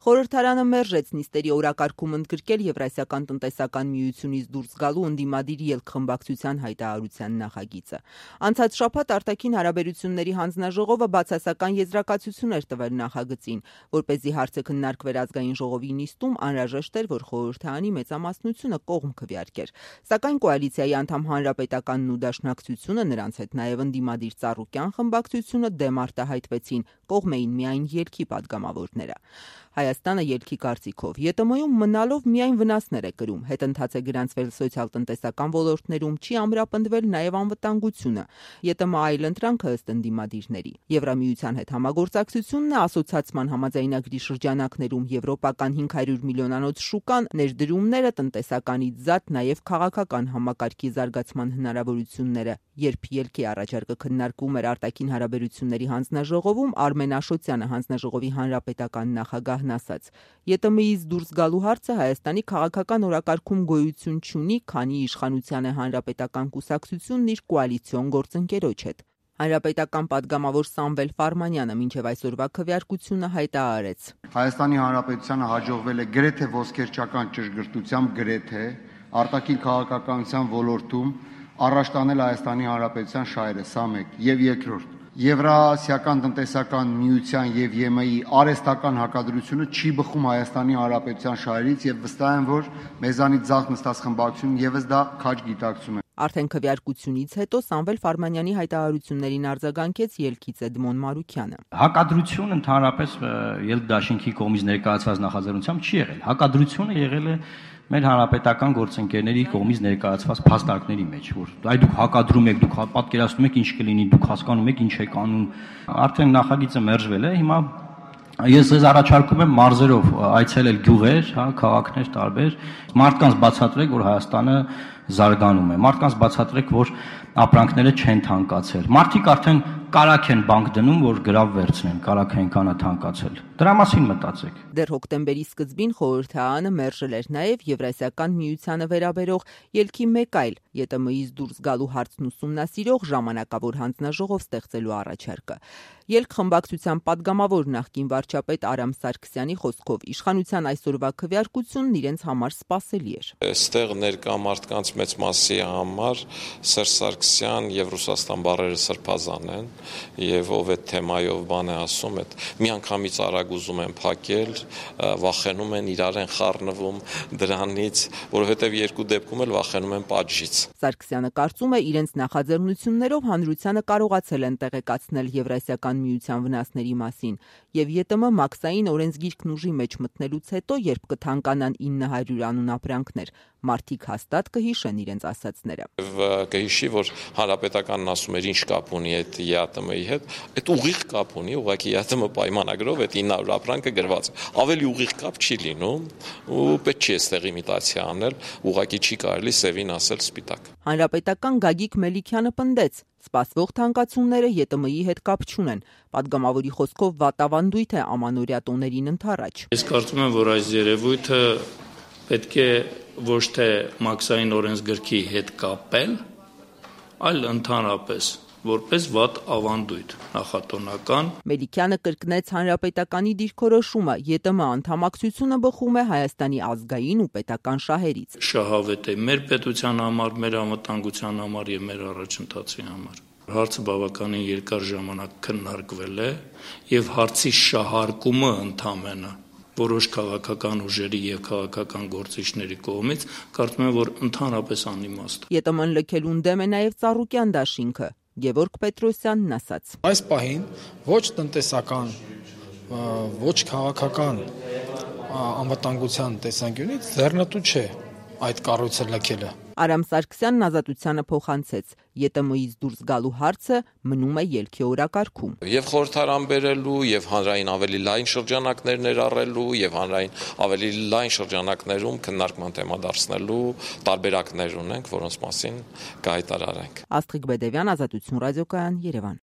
Խորհրդարանը մերժեց նիստերի օրակարգում ընդգրկել Եվրասիական տնտեսական միությունից դուրս գալու ընդդիմադիր ելքխմբակցության հայտարարության նախագիծը։ Անցած շաբաթ արտաքին հարաբերությունների հանձնաժողովը բացասական եզրակացություն էր տվել նախագծին, որպեսզի հարցը քննարկվեր ազգային ժողովի նիստում, անհրաժեշտ էր, որ խորհրդարանի մեծամասնությունը կողմ քվեարկեր։ Սակայն կոալիցիայի անդամ Հանրապետականն ու Դաշնակցությունը, նրանց հետ նաև ընդդիմադիր Ծառուկյան խմբակցությունը դեմ արտահայտվեցին, կողմ էին միայն ելքի падգամավորները։ Հայաստանը ելքի կարծիքով ԵՏՄ-ում մնալով միայն վնասներ է կրում, հետընթաց է գրանցվել սոցիալ-տնտեսական ոլորտներում, չի ամրապնդվել նաև անվտանգությունը, ԵՏՄ այլընտրանքը ըստ ընդդիմադիրների։ Եվրամիության հետ համագործակցությունն է ասոցիացման համաձայնագրի շրջանակներում եվրոպական 500 միլիոնանոց շուկան, ներդրումները, տնտեսականից զատ նաև քաղաքական համակարգի զարգացման հնարավորությունները։ Երբ ելքի առաջարկը քննարկվում էր արտաքին հարաբերությունների հանձնաժողովում, Արմեն Աշոտյանը, հանձնաժողովի հանրապետական նախագահն ասաց. ԵՏՄ-ից դուրս գալու հարցը Հայաստանի քաղաքական օրակարգում գոյություն չունի, քանի իշխանության է հանրապետական կուսակցությունն իր կոալիցիոն գործընկերոջ հետ։ Հանրապետական падգամավոր Սամվել Ֆարմանյանը մինչև այսօրվա քվեարկությունը հայտարարեց. Հայաստանի Հանրապետությանը հաջողվել է գրեթե ոսկերչական ճշգրտությամբ արտաքին քաղաքականության ոլորտում առաջ տանել Հայաստանի Հանրապետության շահերը, սա մեկ, եւ երկրորդ, Եվրասիական տնտեսական միության եւ ԵՄ-ի արհեստական հակադրությունը չի բխում Հայաստանի Հանրապետության շահերից եւ վստահ եմ, որ մեզանից ձախ նստած խմբակցությունն եւս դա քաջ գիտակցում է։ Արդեն քվեարկությունից հետո Սամվել Ֆարմանյանի հայտարարություններին արձագանքեց ելքից Էդմոն Մարուքյանը։ Հակադրություն ընդհանրապես ելքդաշինքի կողմից ներկայացված նախաձեռնությամբ չի եղել։ Հակադրությունը եղել է մեր հանրապետական գործընկերների կողմից ներկայացված փաստարկների մեջ, որ այ դուք հակադրում եք, դուք պատկերացնում եք ինչ կլինի, դուք հասկանում եք ինչ եք անում։ Արդեն նախագիծը մերժվել է, հիմա ես ձեզ առաջարկում եմ մարզերով այցելել գյուղեր, քաղաքներ տարբեր, մարդկանց բացատրեք, որ Հայաստանը զարգանում է, մարդկանց բացատրեք, որ ապրանքները չեն թանկացել։ Մարդիկ արդեն կարակ են բանկ դնում, որ գրավ վերցնեն, կարակ այնքան է թանկացել։ Դրա մասին մտածեք։ Դեռ հոկտեմբերի սկզբին խորհրդարանը մերժել էր նաև Եվրասիական միությանը վերաբերող ելքի մեկ այլ ԵՏՄ-ից դուրս գալու հարցն ուսումնասիրող ժամանակավոր հանձնաժողով ստեղծելու առաջարկը։ Ելքխմբակցության падգամավոր նախկին վարչապետ Արամ Սարգսյանի խոսքով իշխանության այսօրվա քվեարկությունն իրենց համար սպասելի էր։ Այստեղ ներկա մարդկանց մեծ մասի համար Սերժ Սարգսյան եւ Ռուսաստան բառերը սրբազան են, եւ ով այդ թեմայով բան է ասում, այդ միանգամից արագ ուզում են փակել, վախենում են, իրար են խառնվում դրանից, որովհետեւ երկու դեպքում էլ վախենում են պատժից։ Սարգսյանը կարծում է, իրենց նախաձեռնություններով հանրությանը կարողացել են տեղեկացնել Եվրասիական միության վնասների մասին, եւ ԵՏՄ մաքսային օրենսգիրքն ուժի մեջ մտնելուց հետո, երբ կթանկանան 900 անուն ապրանքներ, մարդիկ հաստատ կհիշեն իրենց ասածները։ Կհիշի, որ հանրապետականն ասում էր ինչ կապ ունի այդ ԵԱՏՄ-ի հետ, այդ ուղիղ կապ ունի, ուղղակի ԵԱՏՄ պայմանագրով այդ 900 ապրանքը գրված է։ Ավելի ուղիղ կապ չի լինում ու պետք չի այստեղ իմիտացիա անել, ուղղակի չի կարելի սևին ասել սպիտակ։ Հանրապետական Գագիկ Մելիքյանը պնդեց. սպասվող թանկացումները ԵՏՄ-ի հետ կապ չունեն։ Պատգամավորի խոսքով վատավանդույթ է ամանորյա տոներին ընդառաջ։ Ես կարծում եմ, որ այս երևույթը պետք է ոչ թե մաքսային օրենսգրքի հետ կապել, այլ ընդհանրապես որպես վատ ավանդույթ նախատոնական։ Մելիքյանը կրկնեց հանրապետականի դիրքորոշումը, ԵՏՄ անդամակցությունը բխում է Հայաստանի ազգային ու պետական շահերից։ Շահավետ է մեր պետության համար, մեր անվտանգության համար եւ մեր առաջընթացի համար։ Հարցը բավականին երկար ժամանակ քննարկվել է եւ հարցի շահարկումը ընդամենը որոշ քաղաքական ուժերի եւ քաղաքական գործիչների կողմից կարծում եմ, որ ընդհանրապես անիմաստ։ ԵՏՄ-ն լքելուն դեմ է նաեւ Ծառուկյան դաշինքը։ Գևորգ Պետրոսյանն ասաց. Այս պահին ոչ տնտեսական, ոչ քաղաքական անվտանգության տեսանկյունից ձեռնտու չէ այդ կառույցը լքելը։ Արամ Սարգսյանն Ազատությանը փոխանցեց. ԵՏՄ-ից դուրս գալու հարցը մնում է ելքի օրակարգում։ Եվ խորհրդարան բերելու, եւ հանրային ավելի լայն շրջանակներ ներառելու, եւ հանրային ավելի լայն շրջանակներում քննարկման թեմա դարձնելու տարբերակներ ունենք, որոնց մասին կհայտարարենք։ Աստղիկ Բեդևյան, Ազատություն ռադիոկայան, Երևան։